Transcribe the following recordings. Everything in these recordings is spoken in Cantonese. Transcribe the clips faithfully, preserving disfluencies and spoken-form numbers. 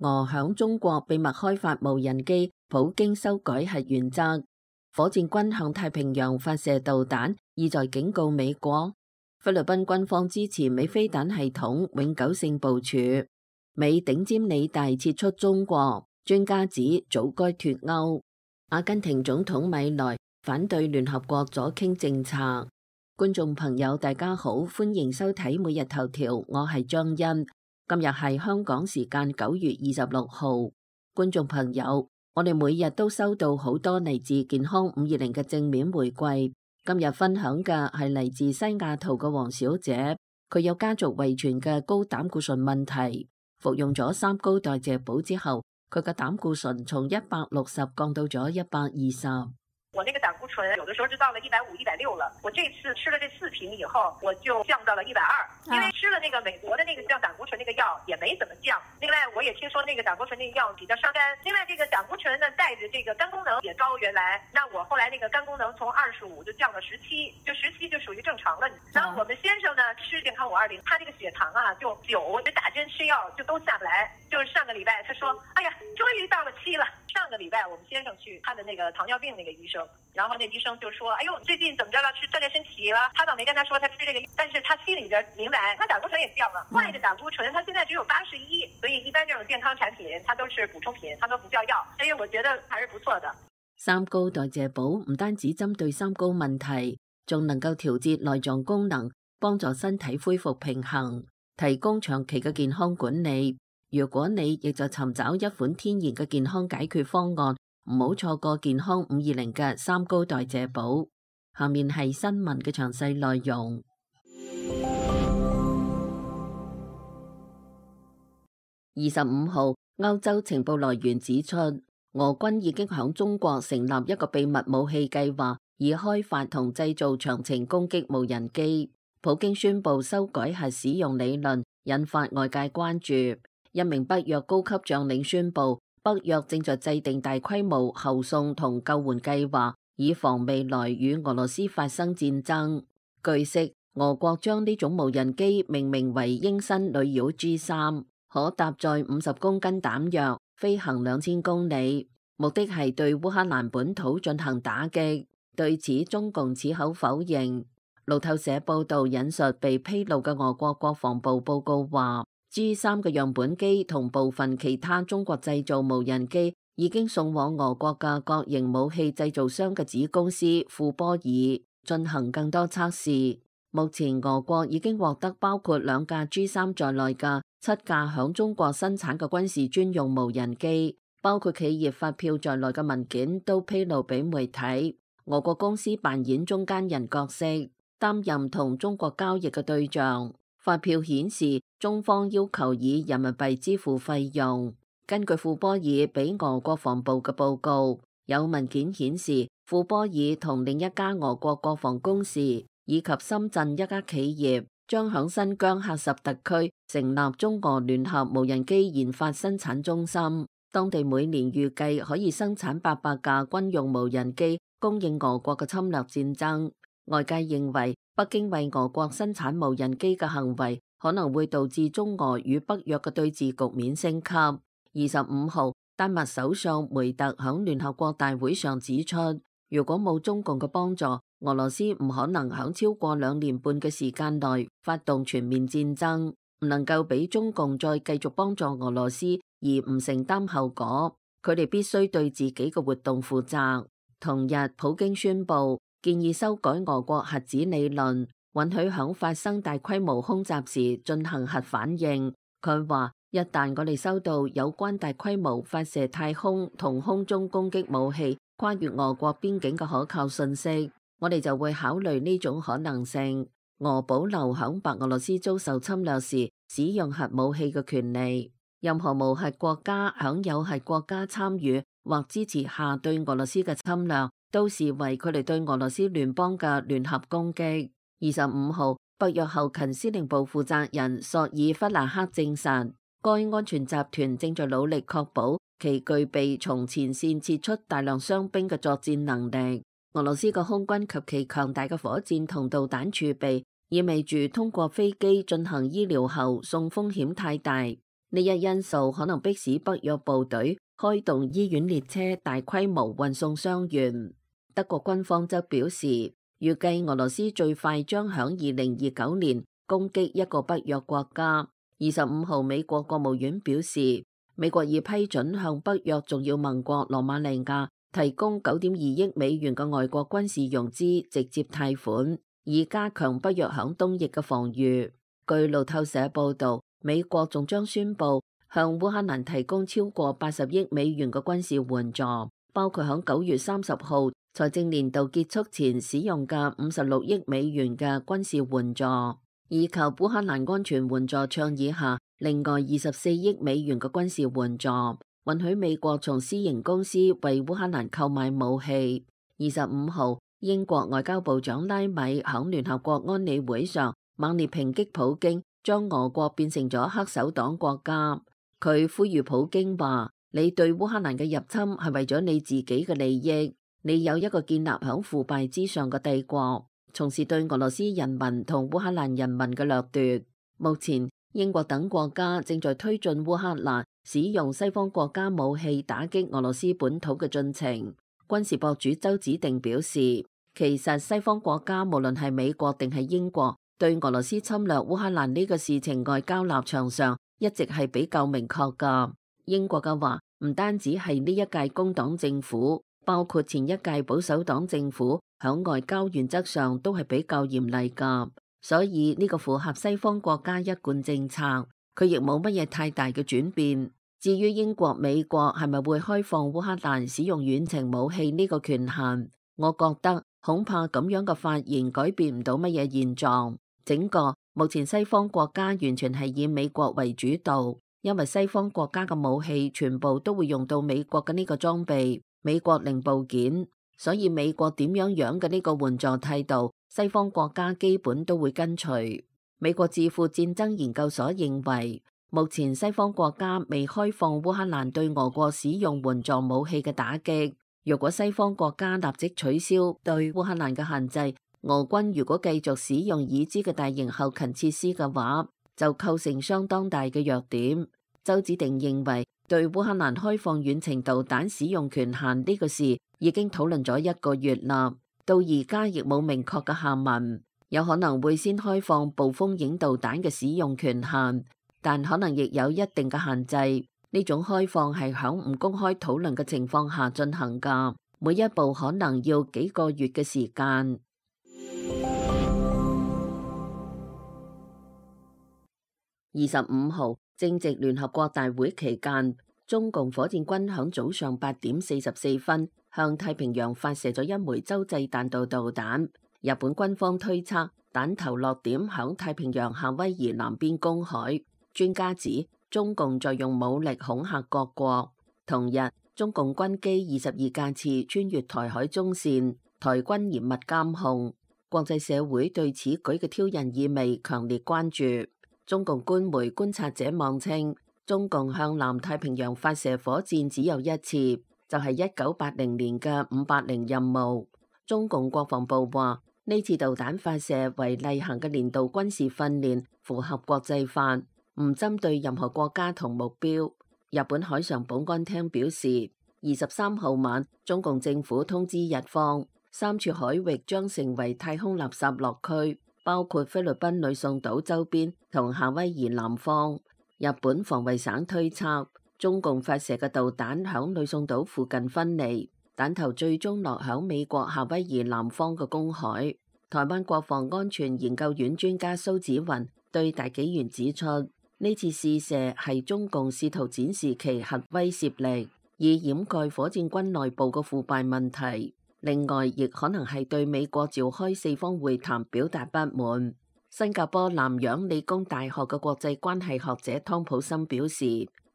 俄響中國秘密開發無人機，普京修改核原則。火箭軍向太平洋發射導彈，意在警告美國。菲律賓軍方支持美飛彈系統永久性部署。美頂尖理大撤出中國，專家指早該脫歐。阿根廷總統米萊反對聯合國左傾政策。觀眾朋友大家好，歡迎收睇每日頭條，我係張欣。今日係香港時間九月二十六號。觀眾朋友，我哋每日都收到好多嚟自健康五二零嘅正面回饋。今日分享嘅係嚟自西雅圖嘅黃小姐，佢有家族遺傳嘅高膽固醇問題，服用咗三高代謝寶之後，佢嘅膽固醇從一百六十降到咗一百二十。我那個膽固醇有的時候就到了一百五、一百六了。我這次吃了這四瓶以後，我就降到了一百二。因為吃了那個美國的那個降膽固醇那個藥也沒怎麼降。另外，我也聽說那個膽固醇那個藥比較傷肝。另外，這個膽固醇呢帶着這個肝功能也高，原來那我後來那個肝功能從二十五就降到十七，就十七就屬於正常了。然後我們先生呢吃健康五二零，他這個血糖啊就九，我就打針吃藥就都下不來。就是上個禮拜他說，哎呀，終於到了七了。上個禮拜我們先生去他的那個糖尿病那個醫生，然後那醫生就說，哎呦，最近怎麼着了，吃鍛煉身體了。他倒沒跟他說他吃這個，但是他心裏邊明白，他膽固醇也降了。壞的膽固醇他現在只有八十一，所以一般這種健康產品它都是補充品，它都不叫藥，所以我覺得還是不錯的。三高代謝寶唔單止針對三高問題，仲能夠調節內臟功能，幫助身體恢復平衡，提供長期嘅健康管理。如果你亦就尋找一款天然嘅健康解決方案，唔好錯過健康五二零嘅三高代謝寶。下面係新聞嘅詳細內容。二十五號，歐洲情報來源指出，俄軍已經響中國成立一個秘密武器計劃，以開發同製造長程攻擊無人機。普京宣布修改核使用理論，引發外界關注。一名北約高級將領宣布，北約正在制定大規模後送同救援計劃，以防未來與俄羅斯發生戰爭。據悉，俄國將呢種無人機命名為鷹身女妖 G 三，可搭載五十公斤彈藥，飛行兩千公里，目的係對烏克蘭本土進行打擊。對此，中共矢口否認。路透社報道引述被披露嘅俄國國防部報告話，G 三嘅樣本機同部分其他中國製造無人機已經送往俄國嘅各型武器製造商嘅子公司庫波爾進行更多測試。目前俄國已經獲得包括兩架 G 三在內嘅七架響中國生產嘅軍事專用無人機，包括企業發票在內嘅文件都披露俾媒體。俄國公司扮演中間人角色，擔任同中國交易嘅對象。發票顯示，中方要求以人民幣支付費用。根據庫波爾俾俄國防部嘅報告，有文件顯示，庫波爾同另一家俄國國防公司以及深圳一家企業將響新疆喀什特區成立中俄聯合無人機研發生產中心，當地每年預計可以生產八百架軍用無人機，供應俄國嘅侵略戰爭。外界認為，北京為俄國生產無人機嘅行為可能會導致中俄與北約嘅對峙局面升級。二十五號，丹麥首相梅特響聯合國大會上指出，如果冇中共嘅幫助，俄羅斯唔可能響超過兩年半嘅時間內發動全面戰爭，唔能夠俾中共再繼續幫助俄羅斯而唔承擔後果。佢哋必須對自己嘅活動負責。同日，普京宣布建議修改俄國核子理論，允許響發生大規模空襲時進行核反應。佢話，一旦我哋收到有關大規模發射太空同空中攻擊武器跨越俄國邊境嘅可靠信息，我哋就會考慮呢種可能性。俄保留響白俄羅斯遭受侵略時使用核武器嘅權利。任何無核國家響有核國家參與或支持下對俄羅斯嘅侵略，都視為佢哋對俄羅斯聯邦嘅聯合攻擊。二十五號，北約後勤司令部負責人索爾弗納克證實，該安全集團正在努力確保其具備從前線撤出大量傷兵嘅作戰能力。俄羅斯嘅空軍及其強大嘅火箭同導彈儲備，意味住通過飛機進行醫療後送風險太大。呢一因素可能迫使北約部隊開動醫院列車大規模運送傷員。德國軍方則表示，預計俄羅斯最快將響二零二九年攻擊一個北約國家。二十五號，美國國務院表示，美國已批准向北約重要盟國羅馬尼亞提供九點二億美元嘅外國軍事融資直接貸款，以加強北約響東翼嘅防禦。據路透社報導，美國仲將宣布向烏克蘭提供超過八十億美元嘅軍事援助，包括響九月三十號財政年度結束前使用嘅五十六億美元嘅軍事援助，以及烏克蘭安全援助倡議下另外二十四億美元嘅軍事援助，允許美國從私營公司為烏克蘭購買武器。二十五號，英國外交部長拉米響聯合國安理會上猛烈抨擊普京，將俄國變成咗黑手黨國家。佢呼籲普京話：你對烏克蘭嘅入侵係為咗你自己嘅利益，你有一個建立響腐敗之上嘅帝國，從事對俄羅斯人民同烏克蘭人民嘅掠奪。目前，英國等國家正在推進烏克蘭使用西方國家武器打擊俄羅斯本土嘅進程。軍事博主周子定表示，其實西方國家無論係美國定係英國，對俄羅斯侵略烏克蘭呢個事情外交立場上一直係比較明確噶。英國嘅話唔單止係呢一屆工黨政府，包括前一屆保守黨政府響外交原則上都係比較嚴厲噶，所以呢個符合西方國家一貫政策，佢亦冇乜嘢太大嘅轉變。至於英國、美國係咪會開放烏克蘭使用遠程武器呢個權限，我覺得恐怕咁樣嘅發言改變唔到乜嘢現狀。整個目前西方國家完全係以美國為主導，因為西方國家嘅武器全部都會用到美國嘅呢個裝備、美國零部件，所以美國點樣樣嘅呢個援助態度，西方國家基本都會跟隨。美國智庫戰爭研究所認為，目前西方國家未開放烏克蘭對俄國使用援助武器嘅打擊。如果西方國家立即取消對烏克蘭嘅限制，俄軍如果繼續使用已知嘅大型後勤設施嘅話，就構成相當大嘅弱點。周子定認為，對烏克蘭開放遠程導彈使用權限呢個事已經討論咗一個月啦，到而家亦冇明確嘅下文，有可能會先開放暴風影導彈嘅使用權限。但可能亦有一定嘅限制，呢種開放係響唔公開討論嘅情況下進行㗎，每一步可能要幾個月嘅時間。二十五號正值聯合國大會期間，中共火箭軍響早上八點四十四分向太平洋發射咗一枚洲際彈道導彈。日本軍方推測彈頭落點響太平洋夏威夷南邊公海。專家指中共在用武力恐嚇各國。同日，中共軍機二十二架次穿越台海中線，台軍嚴密監控。國際社會對此舉嘅挑釁意味強烈關注。中共官媒觀察者網稱，中共向南太平洋發射火箭只有一次，就係一九八零年嘅五八零任務。中共國防部話，呢次導彈發射為例行嘅年度軍事訓練，符合國際法，唔針對任何國家同目標。日本海上保安廳表示，二十三號晚，中共政府通知日方，三處海域將成為太空垃圾落區，包括菲律賓呂宋島周邊同夏威夷南方。日本防衛省推測，中共發射嘅導彈響呂宋島附近分離，彈頭最終落響美國夏威夷南方嘅公海。台灣國防安全研究院專家蘇紫雲對大紀元指出，呢次試射係中共試圖展示其核威懾力，以掩蓋火箭軍內部嘅腐敗問題。另外，亦可能係對美國召開四方會談表達不滿。新加坡南洋理工大學嘅國際關係學者湯普森表示，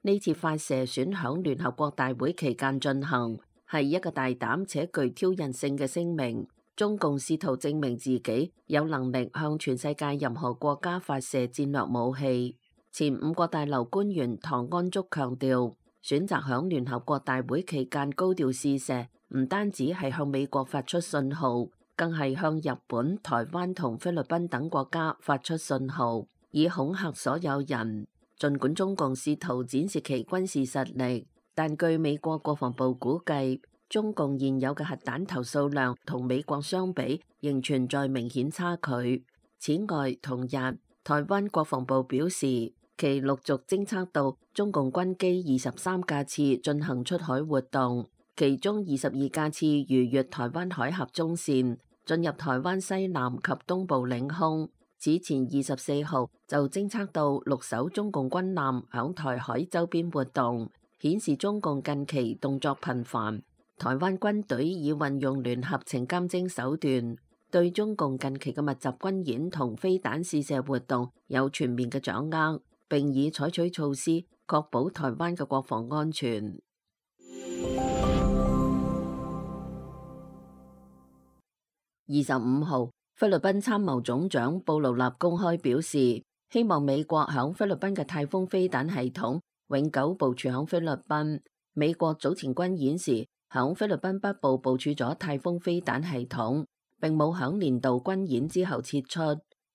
呢次發射選響聯合國大會期間進行，係一個大膽且具挑釁性嘅聲明。中共試圖證明自己有能力向全世界任何國家發射戰略武器。前五角大樓官員唐安竹強調，選擇響聯合國大會期間高調試射，唔單止係向美國發出信號，更係向日本、台灣同菲律賓等國家發出信號，以恐嚇所有人。儘管中共試圖展示其軍事實力，但據美國國防部估計，中共現有嘅核彈頭數量同美國相比，仍存在明顯差距。此外，同日台灣國防部表示，其陸續偵測到中共軍機二十三架次進行出海活動，其中二十二架次逾越台灣海峽中線，進入台灣西南及東部領空。此前二十四號就偵測到六艘中共軍艦響台海周邊活動，顯示中共近期動作頻繁。台灣軍隊已運用聯合情監偵手段，對中共近期嘅密集軍演同飛彈試射活動有全面嘅掌握，並已採取措施確保台灣嘅國防安全。二十五號，菲律賓參謀總長布勞納公開表示，希望美國響菲律賓嘅太空飛彈系統永久部署響菲律賓。美國早前軍演時，響菲律賓北部部署咗太空飛彈系統，並冇響年度軍演之後撤出。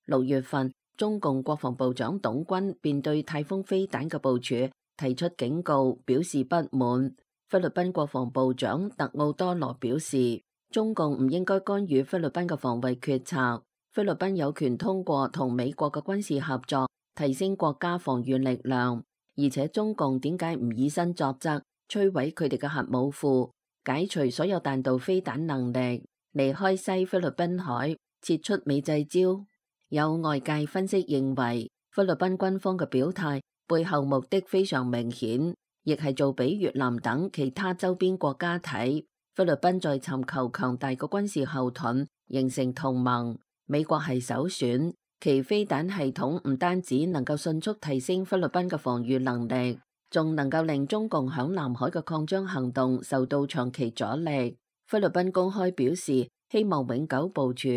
六月份，中共國防部長董軍便對太空飛彈嘅部署提出警告，表示不滿。菲律賓國防部長特奧多羅表示，中共唔應該干預菲律賓嘅防衛決策，菲律賓有權通過同美國嘅軍事合作提升國家防禦力量，而且中共點解唔以身作則，摧毀佢哋嘅核武庫，解除所有彈道飛彈能力，離開西菲律賓海，撤出美濟礁。有外界分析認為，菲律賓軍方嘅表態背後目的非常明顯，亦係做俾越南等其他周邊國家睇，菲律賓在尋求強大嘅軍事後盾，形成同盟，美國係首選。其飛彈系統唔單止能夠迅速提升菲律賓嘅防禦能力，仲能夠令中共響南海嘅擴張行動受到長期阻力。菲律賓公開表示希望永久部署，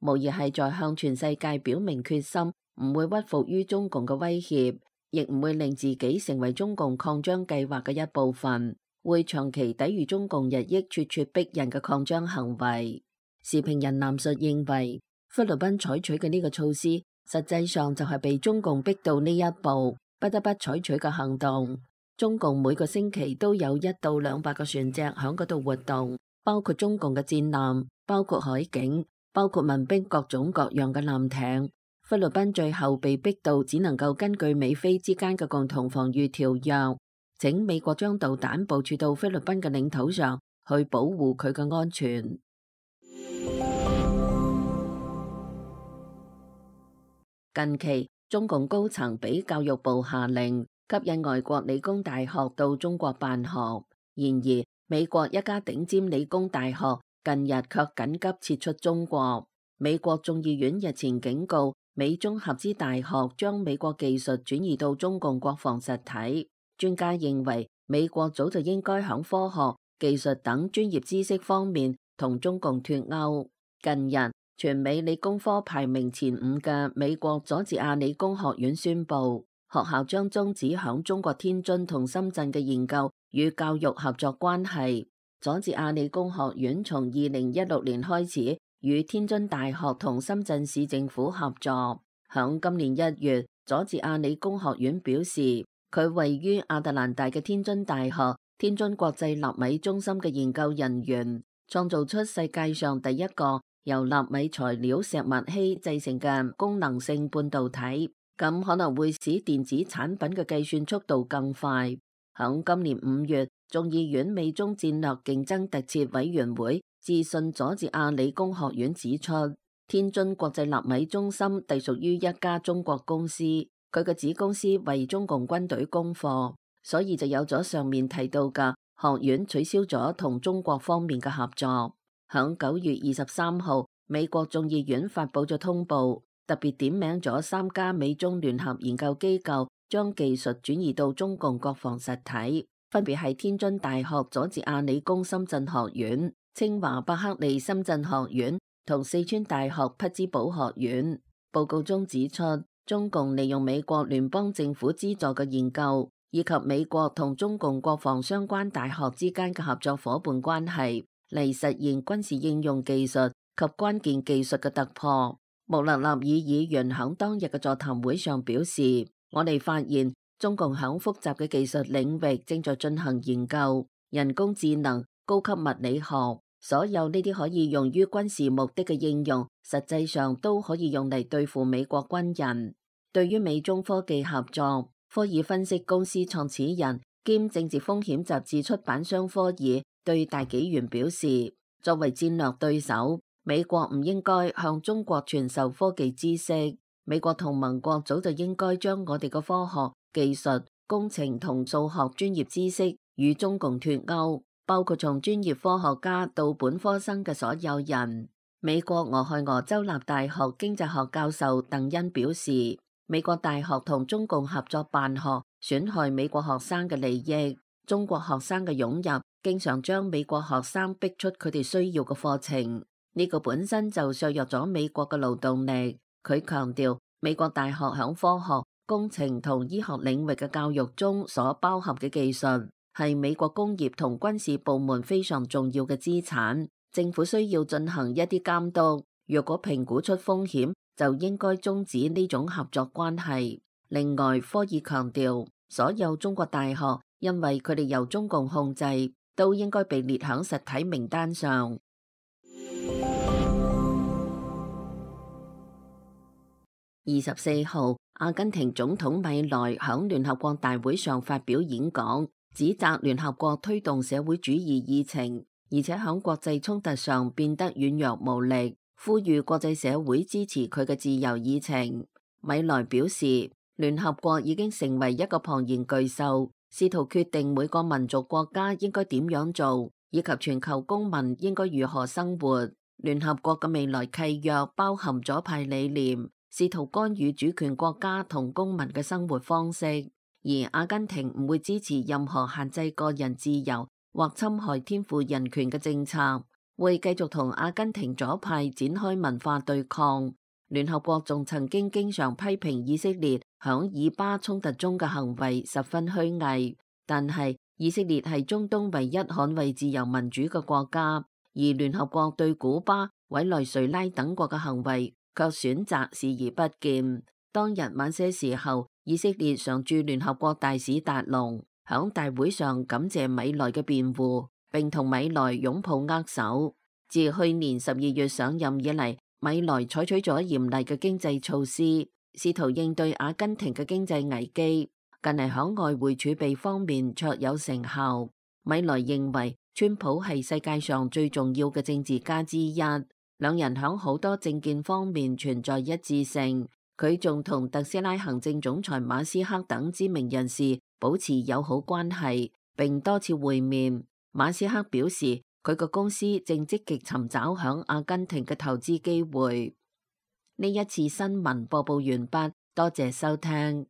無疑係在向全世界表明決心，唔會屈服於中共嘅威脅，亦唔會令自己成為中共擴張計劃嘅一部分，會長期抵禦中共日益咄咄逼人嘅擴張行為。時評人藍述認為，菲律賓採取嘅呢個措施，實際上就係被中共逼到呢一步，不得不採取嘅行動。中共每個星期都有一到兩百個船隻響嗰度活動，包括中共嘅戰艦，包括海警，包括民兵各種各樣嘅艦艇。菲律賓最後被逼到只能夠根據美菲之間嘅共同防禦條約，請美國將導彈部署到菲律賓嘅領土上，去保護佢嘅安全。近期，中共高層俾教育部下令吸引外國理工大學到中國辦學，然而美國一家頂尖理工大學近日卻緊急撤出中國。美國眾議院日前警告美中合資大學將美國技術轉移到中共國防實體。專家認為，美國早就應該響科學、技術等專業知識方面同中共脫鈎。近日，全美理工科排名前五嘅美國佐治亞理工學院宣布，學校將終止響中國天津同深圳嘅研究與教育合作關係。佐治亞理工學院從二零一六年開始與天津大學同深圳市政府合作。響今年一月，佐治亞理工學院表示，佢位於亞特蘭大嘅天津大學天津國際納米中心嘅研究人員，創造出世界上第一個由納米材料石墨烯製成嘅功能性半導體，咁可能會使電子產品嘅計算速度更快。響今年五月，眾議院美中戰略競爭特設委員會致信佐治亞理工學院，指出天津國際納米中心隸屬於一家中國公司，佢嘅子公司為中共軍隊供貨，所以就有咗上面提到嘅學院取消咗同中國方面嘅合作。響九月二十三號，美國眾議院發佈咗通報，特別點名咗三家美中聯合研究機構將技術轉移到中共國防實體，分別係天津大學佐治亞理工深圳學院、清華伯克利深圳學院同四川大學匹茲堡學院。報告中指出，中共利用美國聯邦政府資助嘅研究，以及美國同中共國防相關大學之間嘅合作夥伴關係，嚟實現軍事應用技術及關鍵技術嘅突破。穆勒納爾議員響當日嘅座談會上表示，我哋發現中共響複雜嘅技術領域正在進行研究，人工智能、高級物理學，所有呢啲可以用於軍事目的嘅應用，實際上都可以用嚟對付美國軍人。對於美中科技合作，科爾分析公司創始人兼政治風險雜誌出版商科爾對大紀元表示，作為戰略對手，美國唔應該向中國傳授科技知識。美國同盟國早就應該將我哋嘅科學、技術、工程同數學專業知識與中共脫鈎，包括從專業科學家到本科生嘅所有人。美國俄亥俄州立大學經濟學教授鄧恩表示，美國大學同中共合作辦學，損害美國學生嘅利益。中國學生嘅湧入，經常將美國學生逼出佢哋需要嘅課程，呢個本身就削弱咗美國嘅勞動力。佢強調，美國大學響科學、工程同醫學領域嘅教育中所包含嘅技術，係美國工業同軍事部門非常重要嘅資產。政府需要進行一啲監督，若果評估出風險，就應該終止呢種合作關係。另外，科爾強調，所有中國大學因為佢哋由中共控制，都應該被列響實體名單上。二十四號，阿根廷總統米萊響聯合國大會上發表演講，指責聯合國推動社會主義議程，而且響國際衝突上變得軟弱無力，呼籲國際社會支持佢嘅自由議程。米萊表示，聯合國已經成為一個龐然巨獸，試圖決定每個民族國家應該點樣做，以及全球公民應該如何生活。聯合國嘅未來契約包含左派理念，試圖干預主權國家同公民嘅生活方式，而阿根廷唔會支持任何限制個人自由或侵害天賦人權嘅政策，會繼續同阿根廷左派展開文化對抗。聯合國仲曾經經常批評以色列響以巴衝突中嘅行為十分虛偽，但係以色列係中東唯一捍衛自由民主嘅國家，而聯合國對古巴、委內瑞拉等國嘅行為卻選擇視而不見。當日晚些時候，以色列常駐聯合國大使達龍響大會上感謝米萊嘅辯護，並同米萊擁抱握手。自去年十二月上任以嚟，米萊採取咗嚴厲嘅經濟措施，試圖應對阿根廷嘅經濟危機。近嚟響外匯儲備方面卓有成效。米萊認為川普係世界上最重要嘅政治家之一，兩人響好多政見方面存在一致性。佢仲同特斯拉行政總裁馬斯克等知名人士保持友好關係，並多次會面。馬斯克表示，佢個公司正積極尋找響阿根廷嘅投資機會。呢一次新聞播報完畢，多謝收聽。